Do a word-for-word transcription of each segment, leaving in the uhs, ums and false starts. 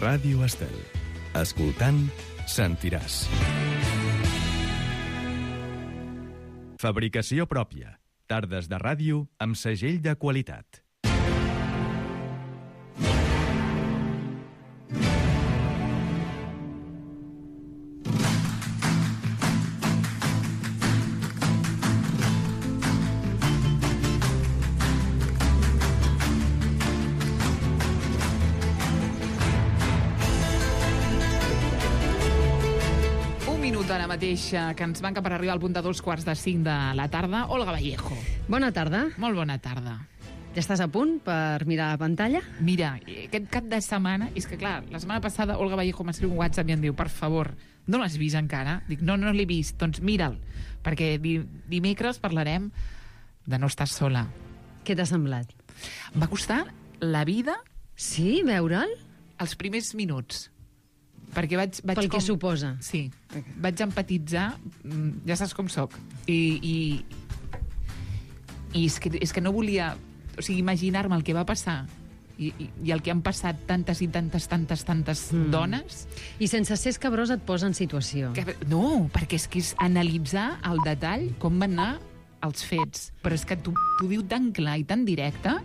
Ràdio Estel. Escoltant, sentiràs. Fabricació pròpia. Tardes de ràdio amb segell de qualitat. Ara mateix que ens manca per arribar al punt de dos quarts de cinc de la tarda. Olga Vallejo. Bona tarda. Molt bona tarda. Ja estàs a punt per mirar la pantalla? Mira, aquest cap de setmana, és que clar, la setmana passada Olga Vallejo m'escriu un WhatsApp i em diu, per favor, no l'has vist encara? Dic, no, no l'he vist, doncs mira'l, perquè dimecres parlarem de No estàs sola. Què t'ha semblat? Em va costar la vida... Sí, veure'l? Els primers minuts. Perquè vaig, vaig Pel com... que suposa. Sí, vaig empatitzar, ja saps com soc, i, i, i és, que, és que no volia, o sigui, imaginar-me el que va passar i, i, i el que han passat tantes i tantes, tantes, tantes mm. dones. I sense ser escabrós et posa en situació. Que, no, perquè és que és analitzar al detall com van anar els fets, però és que t'ho diu tan clar i tan directe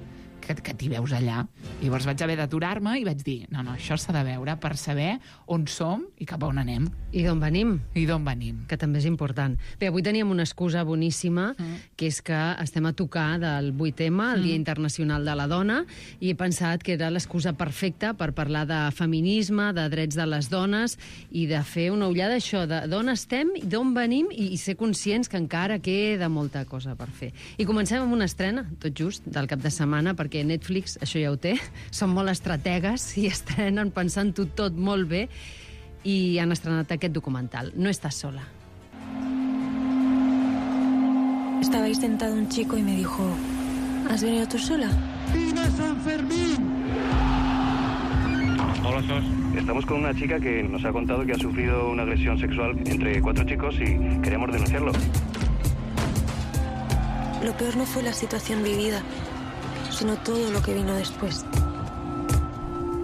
que, que t'hi veus allà. I llavors vaig haver d'aturar-me i vaig dir, no, no, això s'ha de veure per saber on som i cap a on anem. I d'on venim. I d'on venim. Que també és important. Bé, avui teníem una excusa boníssima, mm. que és que estem a tocar del vuit ema, el mm. Dia Internacional de la Dona, i he pensat que era l'excusa perfecta per parlar de feminisme, de drets de les dones, i de fer una ullada això, d'on estem, d'on venim, i, i ser conscients que encara queda molta cosa per fer. I comencem amb una estrena, tot just, del cap de setmana, perquè Netflix això ja ho té, són molt estrategues i estrenen pensant-ho tot molt bé, i han estrenat aquest documental, No estás sola. Estaba ahí sentado un chico y me dijo, ¿has venido tú sola? ¡Viva San Fermín! Hola, Sos. Estamos con una chica que nos ha contado que ha sufrido una agresión sexual entre cuatro chicos y queremos denunciarlo. Lo peor no fue la situación vivida, sino todo lo que vino después.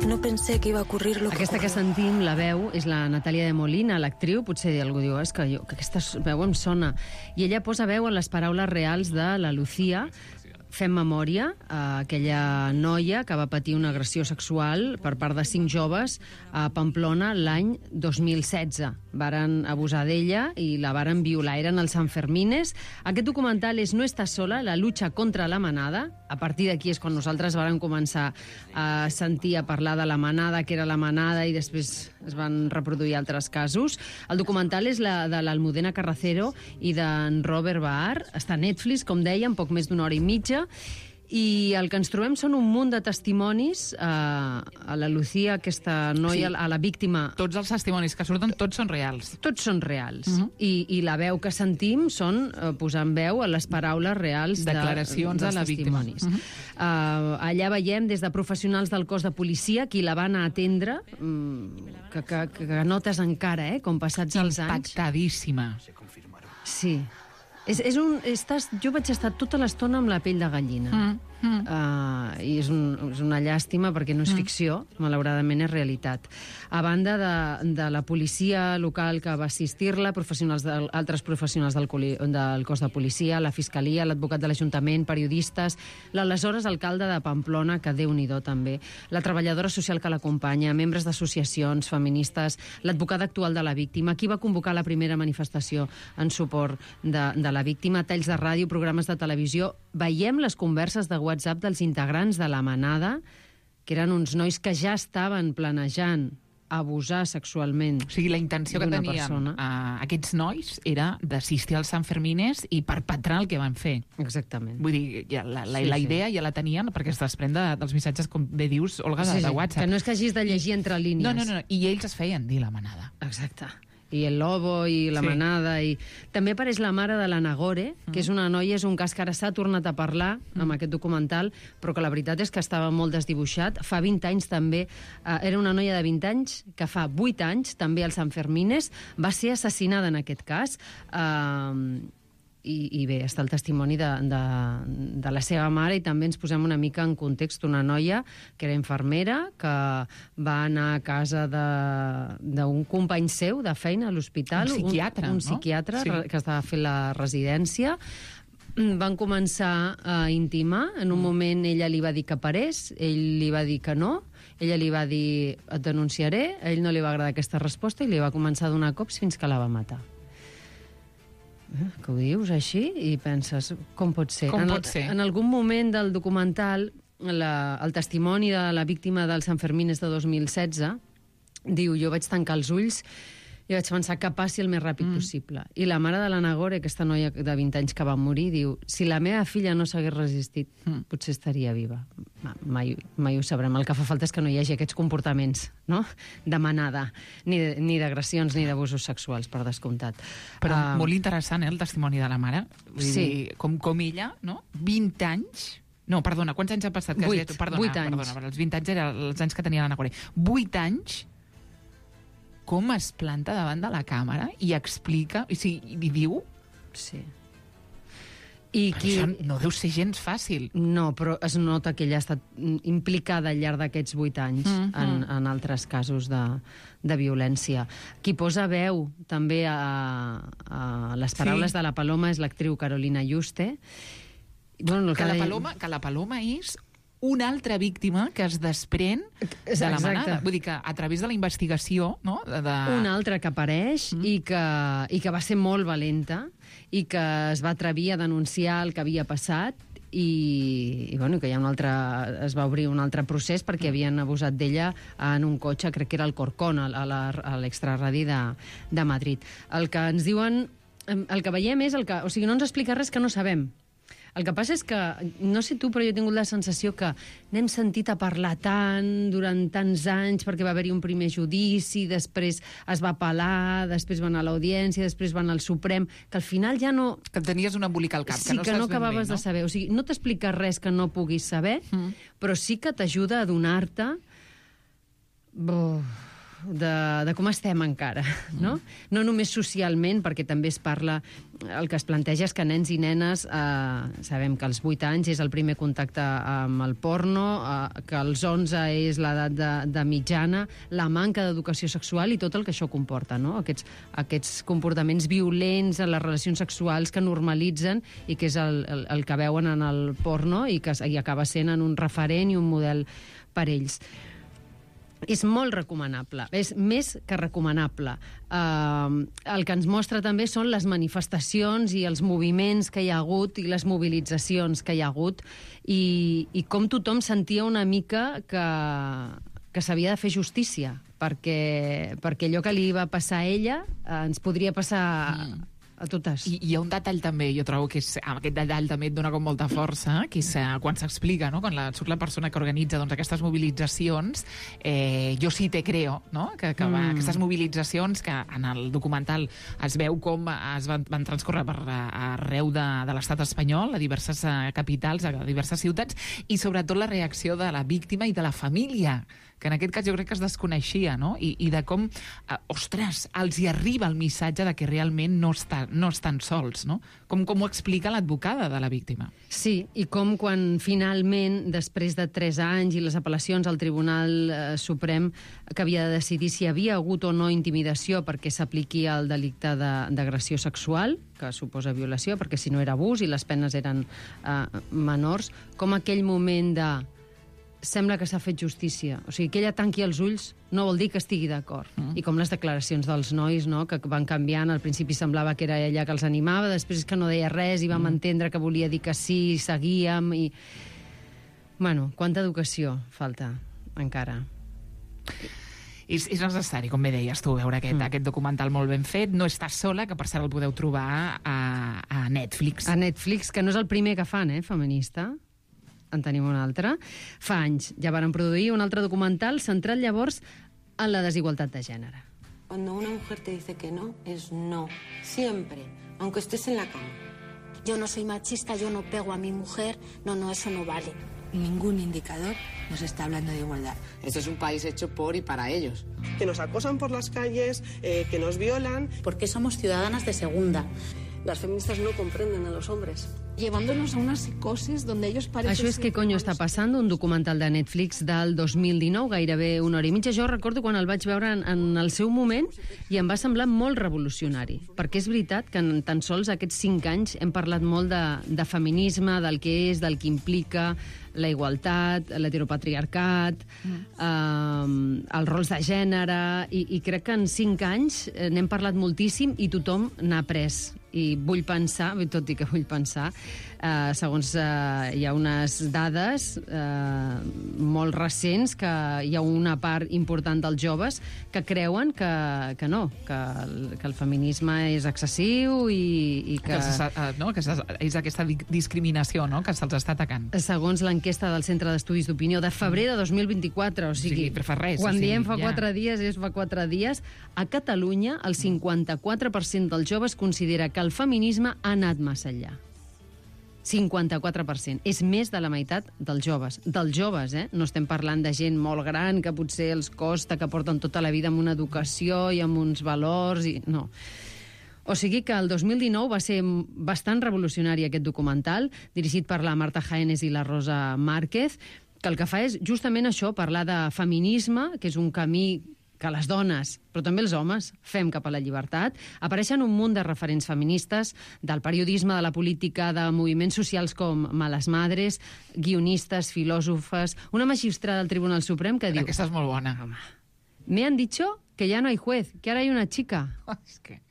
No pensé que iba a ocurrir lo que Aquesta que sentim, la veu, és la Natàlia de Molina, l'actriu. Potser algú diu, és que, jo, que aquesta veu em sona. I ella posa veu en les paraules reals de la Lucía. Fem memòria a aquella noia que va patir una agressió sexual per part de cinc joves a Pamplona l'any dos mil setze. Varen abusar d'ella i la varen violar. Eren els Sanfermines. Aquest documental és No estàs sola, la lucha contra la manada. A partir d'aquí és quan nosaltres vàrem començar a sentir a parlar de la manada, que era la manada, i després es van reproduir altres casos. El documental és la de l'Almudena Carracero i d'en Robert Baar. Està a Netflix, com dèiem, poc més d'una hora i mitja. I el que ens trobem són un munt de testimonis a, a la Lucía, aquesta noia, sí, a la víctima. Tots els testimonis que surten, tots són reals. Tots són reals. Uh -huh. I, I la veu que sentim són eh, posant veu a les paraules reals declaracions de, de la víctima. Uh -huh. uh, allà veiem des de professionals del cos de policia qui la van a atendre, mm, que, que, que notes encara, eh, com passats els anys. Impactadíssima. Sí. És, és un, estàs, jo vaig estar tota l'estona amb la pell de gallina. Mm, mm. Uh, I és, un, és una llàstima perquè no és mm. ficció, malauradament és realitat. A banda de, de la policia local que va assistir-la, professionals de, altres professionals del, del cos de policia, la fiscalia, l'advocat de l'Ajuntament, periodistes, l'aleshores alcalde de Pamplona, que Déu-n'hi-do també, la treballadora social que l'acompanya, membres d'associacions feministes, l'advocada actual de la víctima, qui va convocar la primera manifestació en suport de, de la víctima, talls de ràdio, programes de televisió. Veiem les converses de WhatsApp dels integrants de la manada, que eren uns nois que ja estaven planejant abusar sexualment. O sigui, la intenció que tenien persona. Uh, aquests nois era d'assistir als Sanfermines i perpetrar el que van fer. Exactament. Vull dir, ja la, la, sí, la sí. idea ja la tenien perquè es desprèn de, dels missatges, com bé dius, Olga, de, sí, sí. de WhatsApp. Que no és que hagis de llegir entre línies. No, no, no. I ells es feien dir la manada. Exacte. I el Lobo, i la sí. manada, i... També apareix la mare de la Nagore, que és una noia, és un cas que ara s'ha tornat a parlar amb aquest documental, però que la veritat és que estava molt desdibuixat. Fa vint anys també, eh, era una noia de vint anys, que fa vuit anys, també als Sanfermines, va ser assassinada en aquest cas. Eh, i, i bé, està el testimoni de, de, de la seva mare, i també ens posem una mica en context una noia que era infermera, que va anar a casa d'un company seu de feina a l'hospital. Un psiquiatre, un, un no? psiquiatre Sí. que estava fent la residència. Van començar a intimar. En un moment ella li va dir que parés, ell li va dir que no, ella li va dir et denunciaré, a ell no li va agradar aquesta resposta i li va començar a donar cops fins que la va matar. Eh, que ho dius així i penses, com pot ser? Com en, pot ser? En algun moment del documental, la, el testimoni de la víctima del Sant Fermín és de dos mil setze, diu, jo vaig tancar els ulls i vaig pensar que passi el més ràpid mm. possible. I la mare de la Nagore, aquesta noia de vint anys que va morir, diu, si la meva filla no s'hagués resistit, mm. potser estaria viva. Mai, mai ho sabrem. El que fa falta és que no hi hagi aquests comportaments, no?, de manada, ni, ni d'agressions ni d'abusos sexuals, per descomptat. Però uh, molt interessant, eh, el testimoni de la mare. Vull Sí. dir, com, com ella, no?, vint anys... No, perdona, quants anys ha passat? Que has Vuit, dit? Perdona, vuit anys. Perdona, els vint anys eren els anys que tenia la Nagore. Vuit anys, com es planta davant de la càmera i explica, i, si, i diu... Sí. I Però qui... això no deu ser gens fàcil. No, però es nota que ella ha estat implicada al llarg d'aquests vuit anys mm -hmm. en, en altres casos de, de violència. Qui posa veu també a, a les paraules Sí. de la Paloma és l'actriu Carolina Yuste. Bueno, el Que la, deia- Paloma, que la Paloma és una altra víctima que es desprèn de la Exacte. manada. Vull dir que a través de la investigació... No? De, de... Una altra que apareix mm. i, que, i que va ser molt valenta i que es va atrevir a denunciar el que havia passat i, i bueno, que hi ha un altre, es va obrir un altre procés perquè havien abusat d'ella en un cotxe, crec que era el Corcón, a la- a l'extraradi de, de Madrid. El que ens diuen, el que veiem és el que, o sigui, no ens explica res que no sabem. El que passa és que, no sé tu, però jo he tingut la sensació que n'hem sentit a parlar tant durant tants anys perquè va haver-hi un primer judici, després es va apel·lar, després va anar a l'audiència, després va anar al Suprem, que al final ja no... Que tenies un embolic al cap, sí, que no que saps no ben bé, acabaves no? de saber. O sigui, no t'explica res que no puguis saber, mm. però sí que t'ajuda a donar-te de, de com estem encara, no? Mm. No només socialment, perquè també es parla, el que es planteja és que nens i nenes, eh, sabem que als vuit anys és el primer contacte amb el porno, eh, que als onze és l'edat de, de mitjana, la manca d'educació sexual i tot el que això comporta, no? Aquests, aquests comportaments violents en les relacions sexuals que normalitzen i que és el, el, el que veuen en el porno i que i acaba sent en un referent i un model per ells. És molt recomanable, és més que recomanable. Uh, el que ens mostra també són les manifestacions i els moviments que hi ha hagut i les mobilitzacions que hi ha hagut i, i com tothom sentia una mica que, que s'havia de fer justícia, perquè, perquè allò que li va passar a ella uh, ens podria passar mm. a totes. I hi ha un detall també, jo trobo que és, aquest detall també et dona com molta força, que és eh, quan s'explica, no? Quan la, surt la persona que organitza doncs, aquestes mobilitzacions, eh, jo sí te creo, no? que, que va, mm. aquestes mobilitzacions que en el documental es veu com es van, van transcorrer per arreu de, de l'estat espanyol, a diverses eh, capitals, a diverses ciutats, i sobretot la reacció de la víctima i de la família, que en aquest cas jo crec que es desconeixia, no? I, i de com, eh, ostres, els hi arriba el missatge de que realment no, està, no estan sols, no? Com, com ho explica l'advocada de la víctima. Sí, i com quan finalment, després de tres anys i les apel·lacions al Tribunal eh, Suprem, que havia de decidir si hi havia hagut o no intimidació perquè s'apliqui el delicte d'agressió sexual, que suposa violació, perquè si no era abús i les penes eren eh, menors, com aquell moment de sembla que s'ha fet justícia. O sigui, que ella tanqui els ulls no vol dir que estigui d'acord. Mm. I com les declaracions dels nois, no?, que van canviant. Al principi semblava que era ella que els animava, després que no deia res i vam mm. entendre que volia dir que sí, i seguíem. I... Bueno, quanta educació falta encara. És, és necessari, com bé deies tu, veure aquest, mm. aquest documental molt ben fet. No estàs sola, que per cert el podeu trobar a, a Netflix. A Netflix, que no és el primer que fan, eh, feminista. En tenim un altre. Fa anys ja varen produir un altre documental centrat llavors en la desigualtat de gènere. Cuando una mujer te dice que no, es no. Siempre, aunque estés en la cama. Yo no soy machista, yo no pego a mi mujer. No, no, eso no vale. Ningún indicador nos está hablando de igualdad. Este es un país hecho por y para ellos. Que nos acosan por las calles, eh, que nos violan. Porque somos ciudadanas de segunda. Las feministas no comprenden a los hombres. Llevándonos a una psicosis donde ellos parecen... Això és Què coño està passant, un documental de Netflix del dos mil dinou, gairebé una hora i mitja. Jo recordo quan el vaig veure en, en el seu moment i em va semblar molt revolucionari, perquè és veritat que en tan sols aquests cinc anys hem parlat molt de, de feminisme, del que és, del que implica, la igualtat, l'heteropatriarcat, mm. eh, els rols de gènere, i, i crec que en cinc anys n'hem parlat moltíssim i tothom n'ha après. I vull pensar, tot i que vull pensar, eh, segons eh, hi ha unes dades eh, molt recents que hi ha una part important dels joves que creuen que, que no, que el, que el feminisme és excessiu i, i que... que no, que és aquesta discriminació, no?, que se'ls està atacant. Segons l'enquesta del Centre d'Estudis d'Opinió de febrer de dos mil vint-i-quatre, o sigui, sí, fa res, quan o sigui, diem fa ja. quatre dies, és fa quatre dies, a Catalunya el cinquanta-quatre per cent dels joves considera que el feminisme ha anat massa enllà. cinquanta-quatre per cent. És més de la meitat dels joves. Dels joves, eh? No estem parlant de gent molt gran que potser els costa, que porten tota la vida amb una educació i amb uns valors... I... No. O sigui que el dos mil dinou va ser bastant revolucionari aquest documental, dirigit per la Marta Jaénes i la Rosa Márquez, que el que fa és justament això, parlar de feminisme, que és un camí que les dones, però també els homes, fem cap a la llibertat. Apareixen un munt de referents feministes del periodisme, de la política, de moviments socials com Malas Madres, guionistes, filòsofes, una magistrada del Tribunal Suprem que diu... Aquesta és molt bona. Me han dicho que ya no hay juez, que ahora hay una chica. Oh, és que...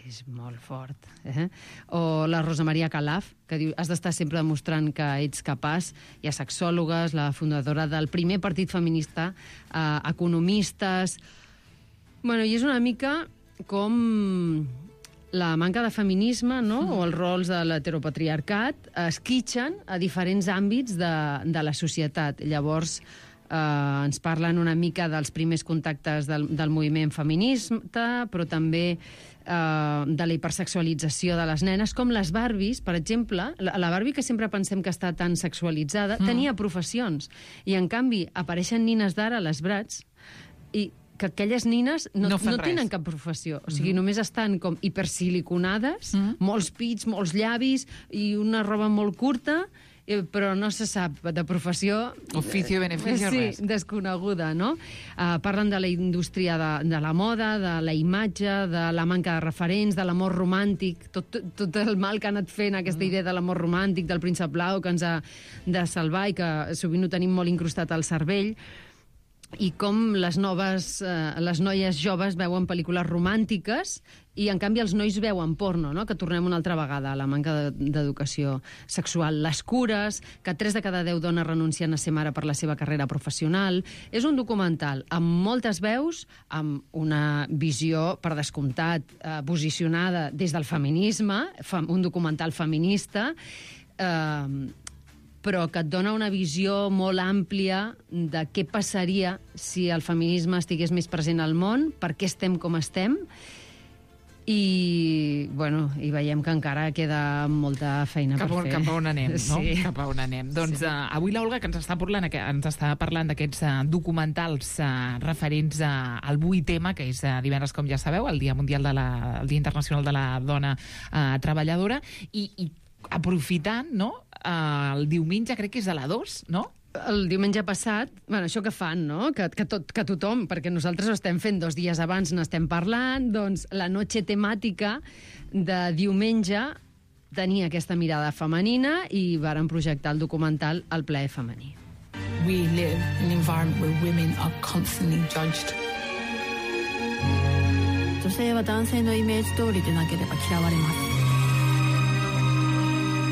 És molt fort. Eh? O la Rosa Maria Calaf, que diu has d'estar sempre demostrant que ets capaç. Hi ha sexòlogues, la fundadora del primer partit feminista, eh, economistes... Bueno, i és una mica com la manca de feminisme, no?, o els rols de l'heteropatriarcat esquitxen a diferents àmbits de, de la societat. Llavors, eh, ens parlen una mica dels primers contactes del, del moviment feminista, però també de la hipersexualització de les nenes, com les Barbies, per exemple. La Barbie, que sempre pensem que està tan sexualitzada, mm. tenia professions. I, en canvi, apareixen nines d'ara a les Bratz i que aquelles nines no, no, no tenen cap professió. O sigui, mm. només estan com hipersiliconades, mm. molts pits, molts llavis i una roba molt curta, però no se sap de professió... Oficio, beneficio, sí, res. Desconeguda, no? Uh, parlen de la indústria de, de la moda, de la imatge, de la manca de referents, de l'amor romàntic, tot, tot el mal que ha anat fent aquesta idea de l'amor romàntic, del príncep blau, que ens ha de salvar i que sovint ho tenim molt incrustat al cervell, i com les noves, eh, les noies joves veuen pel·lícules romàntiques i, en canvi, els nois veuen porno, no?, que tornem una altra vegada a la manca d'educació sexual. Les cures, que tres de cada deu dones renuncien a ser mare per la seva carrera professional. És un documental amb moltes veus, amb una visió, per descomptat, eh, posicionada des del feminisme, un documental feminista, eh, però que et dona una visió molt àmplia de què passaria si el feminisme estigués més present al món, per què estem com estem, i, bueno, i veiem que encara queda molta feina cap per on, fer. Cap a on anem, no? Sí. Cap a on anem. Doncs sí. uh, avui l'Olga, que ens està parlant, que ens està parlant d'aquests uh, documentals uh, referents uh, al vuit ema, que és uh, divendres, com ja sabeu, el Dia Mundial de la, el Dia Internacional de la Dona uh, Treballadora, i, i aprofitant, no?, uh, el diumenge, crec que és a la dos, no?, el diumenge passat, bueno, això que fan, no?, que, que, tot, que tothom, perquè nosaltres ho estem fent dos dies abans, n'estem parlant, doncs la noche temàtica de diumenge tenia aquesta mirada femenina i varen projectar el documental El plaer femení. We live in an environment where women are constantly judged. 女性は男性のイメージ通りでなければ嫌われます。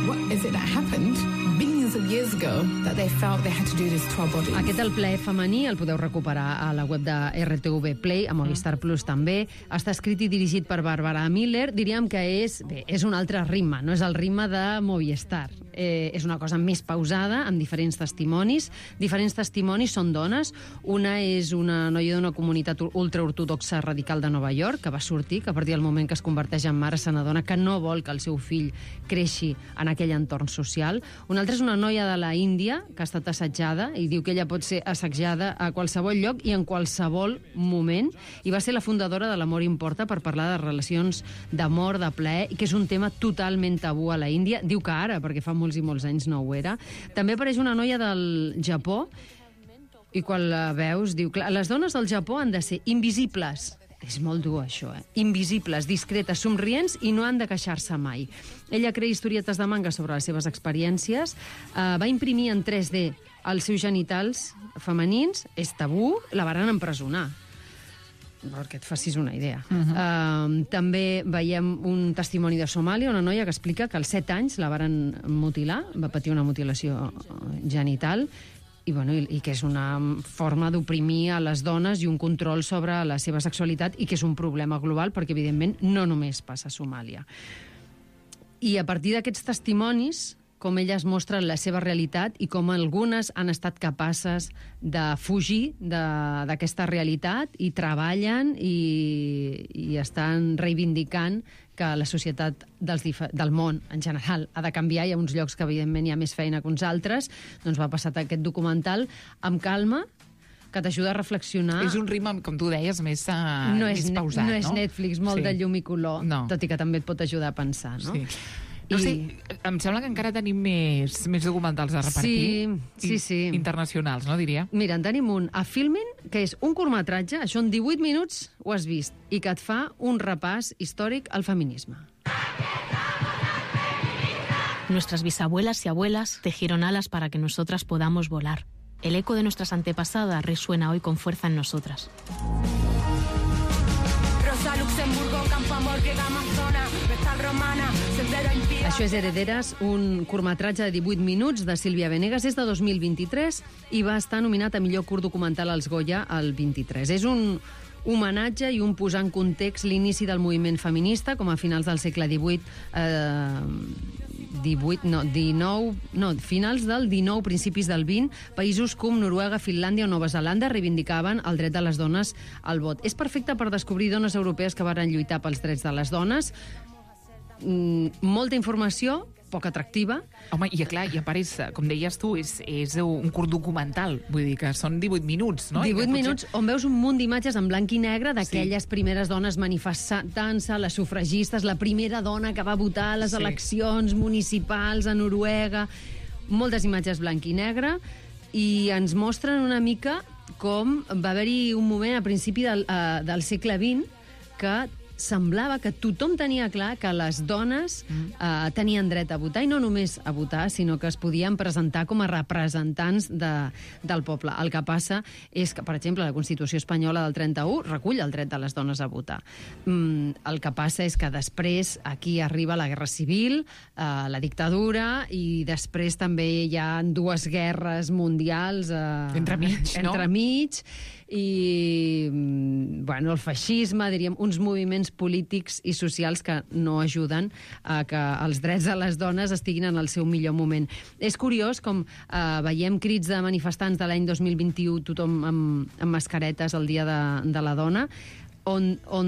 What is it that happened billions of years ago that they felt they had to do this to our bodies? Aquest El plaer femení el podeu recuperar a la web de erre te ve Play, a Movistar Plus també. Està escrit i dirigit per Bàrbara Miller. Diríem que és, bé, és un altre ritme, no és el ritme de Movistar. Eh, és una cosa més pausada, amb diferents testimonis. Diferents testimonis són dones. Una és una noia d'una comunitat ultraortodoxa radical de Nova York, que va sortir, que a partir del moment que es converteix en mare se n'adona que no vol que el seu fill creixi en aquell entorn social. Una altra és una noia de la Índia que ha estat assetjada i diu que ella pot ser assetjada a qualsevol lloc i en qualsevol moment, i va ser la fundadora de l'Amor Importa per parlar de relacions d'amor, de plaer, i que és un tema totalment tabú a la Índia. Diu que ara, perquè fa molts i molts anys no ho era. També apareix una noia del Japó i quan la veus diu, clar, les dones del Japó han de ser invisibles. És molt dur, això, eh? Invisibles, discretes, somrients i no han de queixar-se mai. Ella crea historietes de manga sobre les seves experiències, eh, va imprimir en tres D els seus genitals femenins, és tabú, la varen empresonar. Perquè et facis una idea. Uh -huh. uh, també veiem un testimoni de Somàlia, una noia que explica que als set anys la varen mutilar, va patir una mutilació genital, i, bueno, i, i que és una forma d'oprimir a les dones i un control sobre la seva sexualitat, i que és un problema global perquè, evidentment, no només passa a Somàlia. I a partir d'aquests testimonis, com elles mostren la seva realitat i com algunes han estat capaces de fugir d'aquesta realitat i treballen i, i estan reivindicant que la societat dels del món, en general, ha de canviar. Hi ha uns llocs que, evidentment, hi ha més feina que uns altres. Doncs va passar aquest documental amb calma, que t'ajuda a reflexionar. És un ritme, com tu deies, més, uh, no més és, pausat, no? No és Netflix, molt sí. de llum i color, no. Tot i que també et pot ajudar a pensar, no? Sí. No sé, I... em sembla que encara tenim més, més documentals a repartir. Sí, sí, sí. Internacionals, no, diria? Mira, en tenim un a Filmin, que és un curtmetratge, això en divuit minuts ho has vist, i que et fa un repàs històric al feminisme. Nuestras bisabuelas y abuelas tejieron alas para que nosotras podamos volar. El eco de nuestras antepasadas resuena hoy con fuerza en nosotras. Rosa Luxemburgo, Campo Amor, que Amazona, Vestal Romana, Sendero Impía... Això és Herederes, un curtmetratge de divuit minuts de Sílvia Venegas, és de dos mil vint-i-tres i va estar nominat a millor curt documental als Goya el vint-i-tres. És un homenatge i un posar en context l'inici del moviment feminista, com a finals del segle divuit, eh, divuit, no, dinou, no, finals del dinou, principis del vint, països com Noruega, Finlàndia o Nova Zelanda reivindicaven el dret de les dones al vot. És perfecte per descobrir dones europees que varen lluitar pels drets de les dones. Mm, molta informació, poc atractiva. Home, i clar, i a part, és, com deies tu, és, és un curt documental, vull dir que són divuit minuts, no? divuit potser... minuts on veus un munt d'imatges en blanc i negre d'aquelles sí. primeres dones manifestant-se, les sufragistes, la primera dona que va votar a les sí. eleccions municipals a Noruega, moltes imatges blanc i negre, i ens mostren una mica com va haver-hi un moment a principi del, uh, del segle vint que semblava que tothom tenia clar que les dones mm. eh, tenien dret a votar, i no només a votar, sinó que es podien presentar com a representants de, del poble. El que passa és que, per exemple, la Constitució espanyola del trenta-u recull el dret de les dones a votar. Mm, el que passa és que després aquí arriba la Guerra Civil, eh, la dictadura, i després també hi ha dues guerres mundials eh, entremig, no? entremig, i bueno, el feixisme, diríem, uns moviments polítics i socials que no ajuden a que els drets de les dones estiguin en el seu millor moment. És curiós com eh, veiem crits de manifestants de l'any dos mil vint-i-u, tothom amb, amb mascaretes el dia de, de la dona, on, on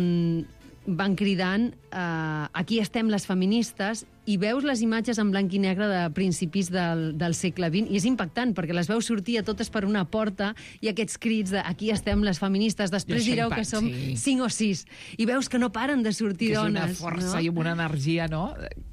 van cridant eh, aquí estem les feministes, i veus les imatges en blanc i negre de principis del, del segle vint, i és impactant, perquè les veus sortir a totes per una porta, i aquests crits de aquí estem les feministes, després direu que som sí. cinc o sis, i veus que no paren de sortir que dones. És una força, no? I una energia, no?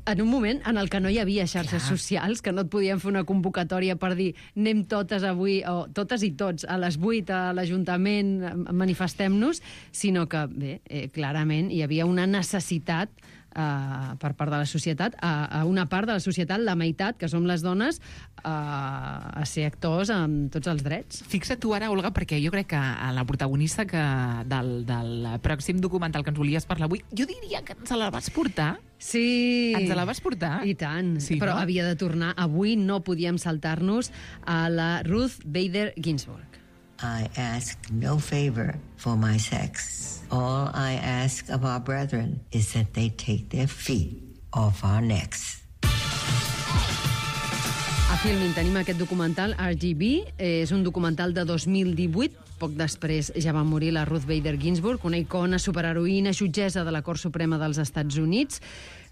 En un moment en el que no hi havia xarxes Clar. socials, que no et podien fer una convocatòria per dir anem totes avui, o totes i tots, a les vuit a l'Ajuntament, manifestem-nos, sinó que, bé, eh, clarament hi havia una necessitat Uh, per part de la societat, a, a una part de la societat, la meitat, que som les dones, uh, a ser actors amb tots els drets. Fixa't tu ara, Olga, perquè jo crec que la protagonista que del, del pròxim documental que ens volies parlar avui, jo diria que ens la vas portar. Sí. Ens la vas portar. I tant. Sí, però no? havia de tornar. Avui no podíem saltar-nos a la Ruth Bader Ginsburg. I ask no favor for my sex. All I ask of our brethren is that they take their feet off our necks. A Filmin tenim aquest documental, R G B. És un documental de dos mil divuit. Poc després ja va morir la Ruth Bader Ginsburg, una icona, superheroïna, jutgessa de la Cort Suprema dels Estats Units,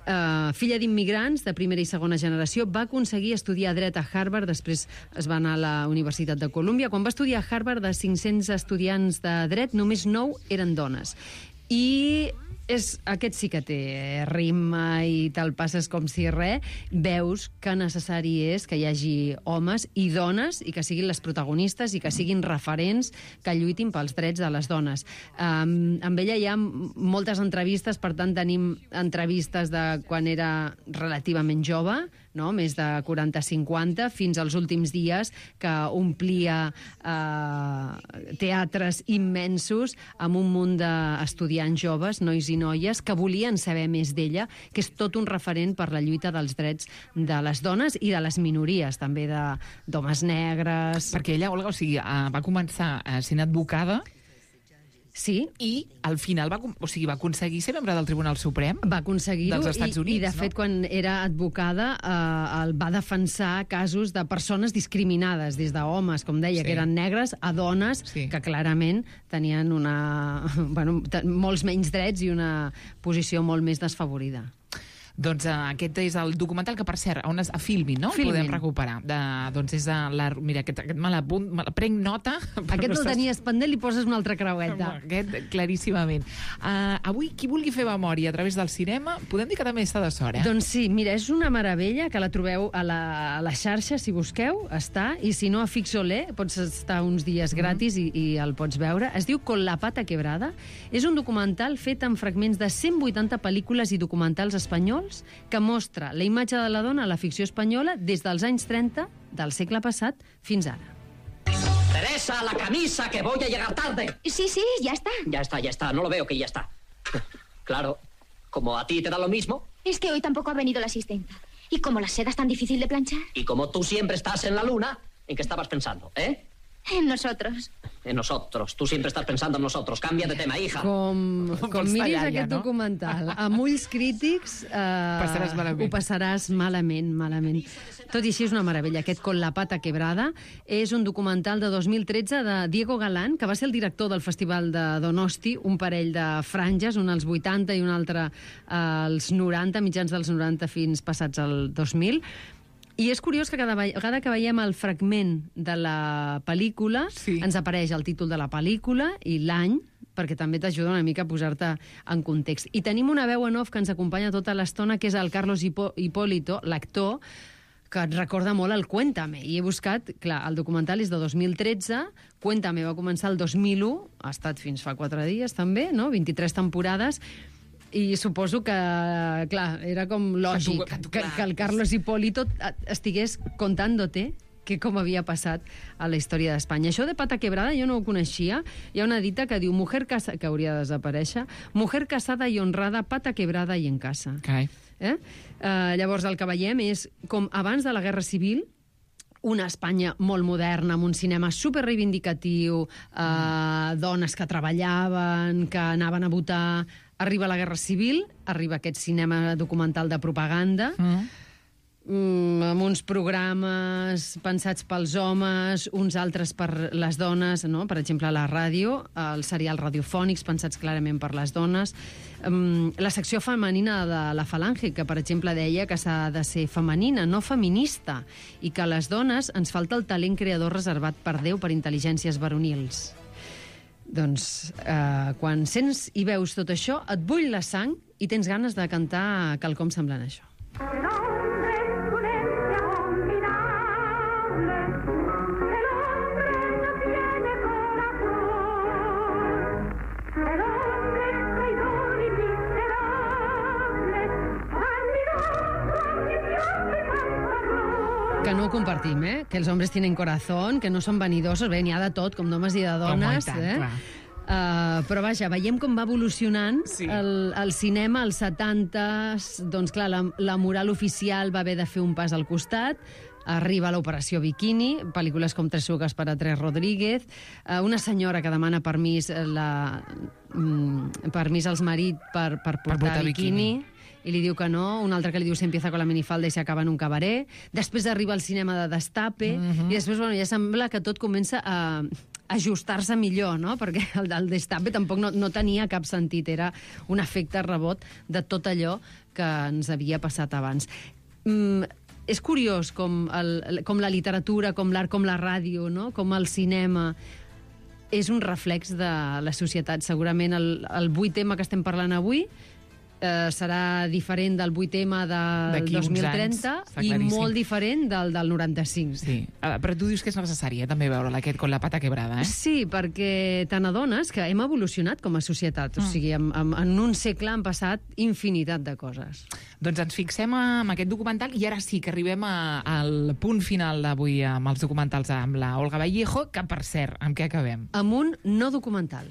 Uh, filla d'immigrants de primera i segona generació, va aconseguir estudiar dret a Harvard, després es va anar a la Universitat de Colúmbia. Quan va estudiar a Harvard, de cinc-cents estudiants de dret, només nou eren dones. I és, aquest sí que té rima i te'l passes com si res. Veus que necessari és que hi hagi homes i dones i que siguin les protagonistes i que siguin referents que lluitin pels drets de les dones. Um, amb ella hi ha moltes entrevistes, per tant tenim entrevistes de quan era relativament jove, no? Més de quaranta cinquanta, fins als últims dies, que omplia eh, teatres immensos amb un munt d'estudiants joves, nois i noies, que volien saber més d'ella, que és tot un referent per la lluita dels drets de les dones i de les minories, també d'homes negres. Perquè ella, Olga, o sigui, va començar sent advocada. Sí. I al final va, o sigui, va aconseguir ser membre del Tribunal Suprem va aconseguir-ho dels Estats Units, i, i de fet, no? quan era advocada eh, el va defensar casos de persones discriminades, des d'homes, com deia, sí. que eren negres, a dones sí. que clarament tenien una, bueno, molts menys drets i una posició molt més desfavorida. Doncs uh, aquest és el documental que, per cert, on es, a Filmin, no? Filmin. Podem recuperar. De, doncs és a la... Mira, aquest, aquest me l'apunt, me la prenc nota. Aquest el tenies pendent, li poses una altra creueta. Aquest, claríssimament. Uh, avui, qui vulgui fer memòria a través del cinema, podem dir que també està de sort, eh? Doncs sí, mira, és una meravella, que la trobeu a la, a la xarxa, si busqueu, està, i si no, a Fixolé, pots estar uns dies gratis mm. i, i el pots veure. Es diu Con la pata quebrada. És un documental fet amb fragments de cent vuitanta pel·lícules i documentals espanyols que mostra la imatge de la dona a la ficció espanyola des dels anys trenta del segle passat fins ara. Teresa, la camisa, que voy a llegar tarde. Sí, sí, ya está. Ya está, ya está. No lo veo que ya está. Claro, como a ti te da lo mismo. Es que hoy tampoco ha venido la asistenta. Y como la seda es tan difícil de planchar. Y como tú siempre estás en la luna, ¿en qué estabas pensando, eh? En nosotros. En nosotros. Tú siempre estás pensando en nosotros. Canvia de tema, hija. Com, com miris tallar, aquest no? documental amb ulls crítics, eh, passaràs malament. ho passaràs malament, malament. Tot i així és una meravella. Aquest Con la pata quebrada és un documental de dos mil tretze de Diego Galán, que va ser el director del Festival de Donosti, un parell de franges, un als vuitanta i un altre als noranta, mitjans dels noranta fins passats al dos mil. I és curiós que cada vegada que veiem el fragment de la pel·lícula sí. ens apareix el títol de la pel·lícula i l'any, perquè també t'ajuda una mica a posar-te en context. I tenim una veu en off que ens acompanya tota l'estona, que és el Carlos Hipólito, l'actor, que et recorda molt el Cuéntame. I he buscat, clar, el documental és de dos mil tretze, Cuéntame va començar el dos mil u, ha estat fins fa quatre dies també, no? vint-i-tres temporades, i suposo que, clar, era com lògic que, tu, que, tu, que el Carlos Hipólito estigués contándote que com havia passat a la història d'Espanya. Això de pata quebrada jo no ho coneixia. Hi ha una dita que diu, mujer casada, que hauria de desaparèixer, mujer casada i honrada, pata quebrada i en casa. Carai. Eh? Uh, llavors el que veiem és com abans de la Guerra Civil, una Espanya molt moderna, amb un cinema super reivindicatiu, eh, dones que treballaven, que anaven a votar. Arriba la Guerra Civil, arriba aquest cinema documental de propaganda, mm. Mm, amb uns programes pensats pels homes, uns altres per les dones, no? Per exemple, la ràdio, els serials radiofònics pensats clarament per les dones. Um, la secció femenina de la Falange, que, per exemple, deia que s'ha de ser femenina, no feminista, i que a les dones ens falta el talent creador reservat per Déu per intel·ligències varonils. Doncs, eh, quan sents i veus tot això, et bull la sang i tens ganes de cantar quelcom semblant a això. Que no ho compartim, eh? Que els homes tenen corazón, que no són vanidosos, bé, n'hi ha de tot, com d'homes i de dones, tant, eh? Uh, però vaja, veiem com va evolucionant sí. el, el cinema als setanta, doncs clar, la, la moral oficial va haver de fer un pas al costat, arriba l'Operació Bikini, pel·lícules com Tres sugues per a Tres Rodríguez, uh, una senyora que demana permís, la, mm, permís als marits per, per portar, per portar biquini, biquini, i li diu que no, un altre que li diu se empieza con la minifalda i se acaba en un cabaret, després arriba el cinema de Destape, mm-hmm. i després bueno, ja sembla que tot comença a ajustar-se millor, no? Perquè el, el destape tampoc no, no tenia cap sentit, era un efecte rebot de tot allò que ens havia passat abans. Mm, és curiós com, el, com la literatura, com l'art, com la ràdio, no? Com el cinema és un reflex de la societat. Segurament el, el vuit tema que estem parlant avui eh, serà diferent del vuit tema del dos mil trenta i molt diferent del del noranta-cinc. Sí. Uh, però tu dius que és necessari, eh, també veure-la aquest con la pata quebrada, eh? Sí, perquè te n'adones que hem evolucionat com a societat. Mm. O sigui, en, en, en un segle han passat infinitat de coses. Doncs ens fixem en aquest documental i ara sí que arribem a, al punt final d'avui amb els documentals amb la Olga Vallejo, que, per cert, amb què acabem? Amb un no documental.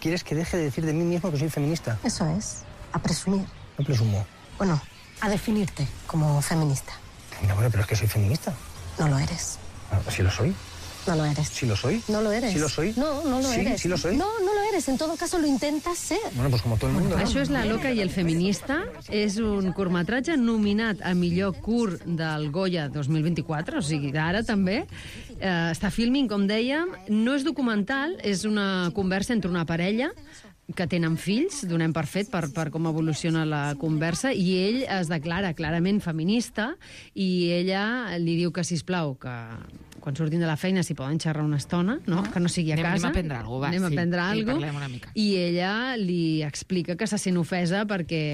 ¿Quieres que deje de decir de mí mismo que soy feminista? Eso es, a presumir. No presumo. Bueno, a definirte como feminista. No, bueno, pero es que soy feminista. No lo eres. ¿Sí lo soy? No lo eres. ¿Sí lo soy? No lo eres. ¿Sí lo soy? No, no lo ¿Sí? eres. ¿Sí lo soy? No, no lo eres. En todo caso, lo intentas ser. Bueno, pues como todo el mundo, ¿no? Això és La loca i el feminista. És un curtmetratge nominat a millor curt del Goya dos mil vint-i-quatre, o sigui, d'ara també. Eh, està filming, com dèiem. No és documental, és una conversa entre una parella que tenen fills, donem per fet per, per com evoluciona la conversa, i ell es declara clarament feminista i ella li diu que, sisplau, que quan surtin de la feina s'hi poden xerrar una estona, no? Que no sigui a anem, casa. Anem a prendre alguna cosa, va. Anem sí, a prendre sí, alguna parlem una mica. I ella li explica que se sent ofesa perquè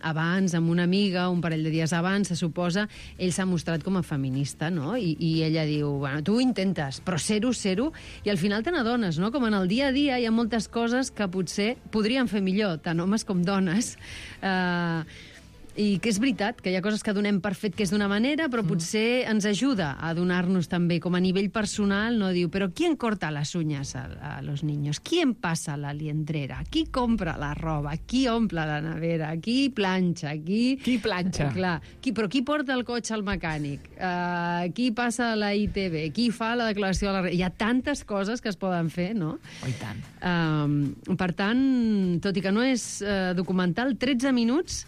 abans, amb una amiga, un parell de dies abans, se suposa, ell s'ha mostrat com a feminista, no? I, i ella diu, bueno, tu ho intentes, però ser-ho, ser-ho, i al final te n'adones, no? Com en el dia a dia hi ha moltes coses que potser podrien fer millor, tant homes com dones. Eh... Uh, I que és veritat, que hi ha coses que donem per fet que és d'una manera, però potser ens ajuda a donar-nos també, com a nivell personal, no? Diu, però ¿quién corta las uñas a, a los niños? ¿Quién pasa la liendrera? ¿Qui compra la roba? Qui omple la nevera? Qui planxa? Qui... Qui planxa? Clar. Qui, però qui porta el cotxe al mecànic? Uh, qui passa a la I T V? Qui fa la declaració a la... Hi ha tantes coses que es poden fer, no? Oh, i tant. Uh, per tant, tot i que no és uh, documental, tretze minuts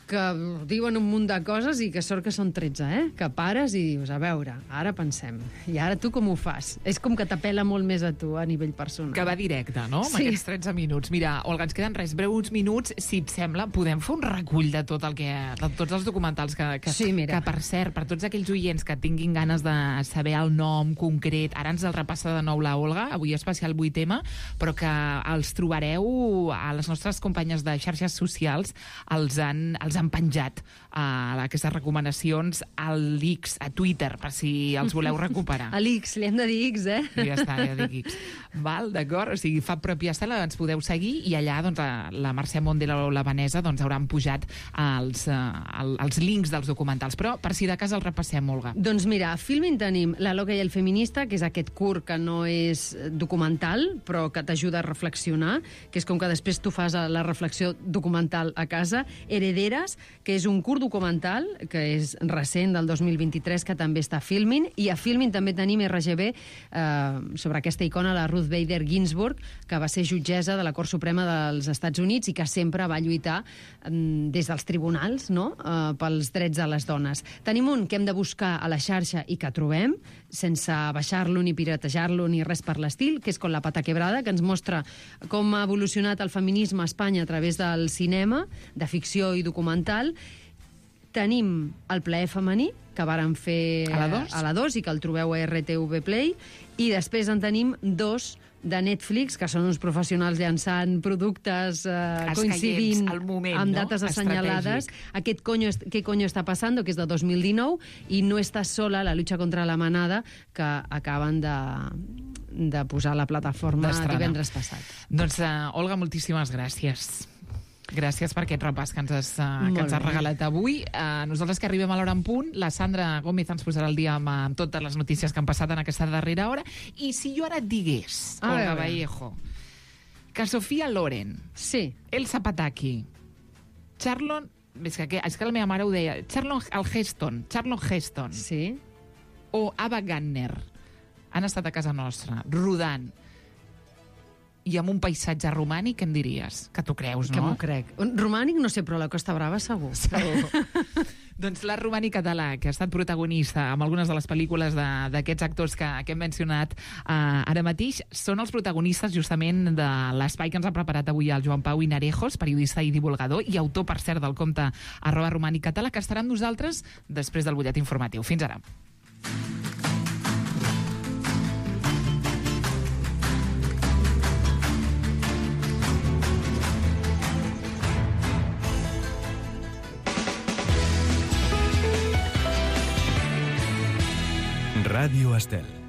que diuen un munt de coses i que sort que són tretze, eh? Que pares i dius, a veure, ara pensem. I ara tu com ho fas? És com que t'apela molt més a tu a nivell personal. Que va directe, no? Amb Sí. aquests tretze minuts. Mira, Olga, ens queden res, breus minuts. Si et sembla, podem fer un recull de tot el que, de tots els documentals que, que, Sí, mira. que, per cert, per tots aquells oients que tinguin ganes de saber el nom concret, ara ens el repassa de nou la Olga, avui especial vuit tema, però que els trobareu a les nostres companyes de xarxes socials, els han, els han penjat a aquestes recomanacions a l'X, a Twitter, per si els voleu recuperar. A l'X, li hem de dir X, eh? Ja està, ja dic X. Val, d'acord? O sigui, fa pròpia estela, ens podeu seguir i allà doncs, la Mercè Mondela o la Vanessa doncs, hauran pujat els, uh, els links dels documentals. Però, per si de cas, el repassem, Olga. Doncs mira, a Filmin tenim La loca i el feminista, que és aquest curt que no és documental, però que t'ajuda a reflexionar, que és com que després tu fas la reflexió documental a casa. Herederes, que és un curt documental, que és recent, del dos mil vint-i-tres, que també està a Filmin, i a Filmin també tenim R G B eh, sobre aquesta icona, la Ruth Bader Ginsburg, que va ser jutgessa de la Cort Suprema dels Estats Units i que sempre va lluitar eh, des dels tribunals, no?, eh, pels drets de les dones. Tenim un que hem de buscar a la xarxa i que trobem, sense baixar-lo ni piratejar-lo ni res per l'estil, que és Con la pata quebrada, que ens mostra com ha evolucionat el feminisme a Espanya a través del cinema, de ficció i documental. Tenim El plaer femení, que varen fer A la dos? a la dos i que el trobeu a R T V Play, i després en tenim dos de Netflix, que són uns professionals llançant productes eh, coincidint al moment, amb no? dates assenyalades. Estratègic. Aquest coño, ¿Qué coño está pasando?, que és de dos mil dinou, i No estàs sola, la lucha contra la manada, que acaben de, de posar a la plataforma D'estrenar. divendres passat. Doncs, uh, Olga, moltíssimes gràcies. Gràcies per aquest repàs que ens has, uh, que ens has regalat avui. Uh, nosaltres que arribem a l'hora en punt, la Sandra Gómez ens posarà el dia amb, amb totes les notícies que han passat en aquesta darrera hora. I si jo ara et digués, A Olga veure. Vallejo, que Sofia Loren, sí. Elsa Pataki, Charlon... És que, és que la meva mare ho deia. Charlon Heston, Charlon Heston. Sí. O Ava Gardner han estat a casa nostra, rodant. i amb un paisatge romànic, què em diries? Que t'ho creus, no? Que m'ho crec. Un romànic, no sé, però la Costa Brava segur. Segur. Doncs l'art romànic català, que ha estat protagonista amb algunes de les pel·lícules d'aquests actors que, que hem mencionat eh, ara mateix, són els protagonistes justament de l'espai que ens ha preparat avui el Joan Pau Hinarejos, periodista i divulgador, i autor, per cert, del compte arroba romànic català, que estarà amb nosaltres després del butlletí informatiu. Fins ara. Ràdio Estel.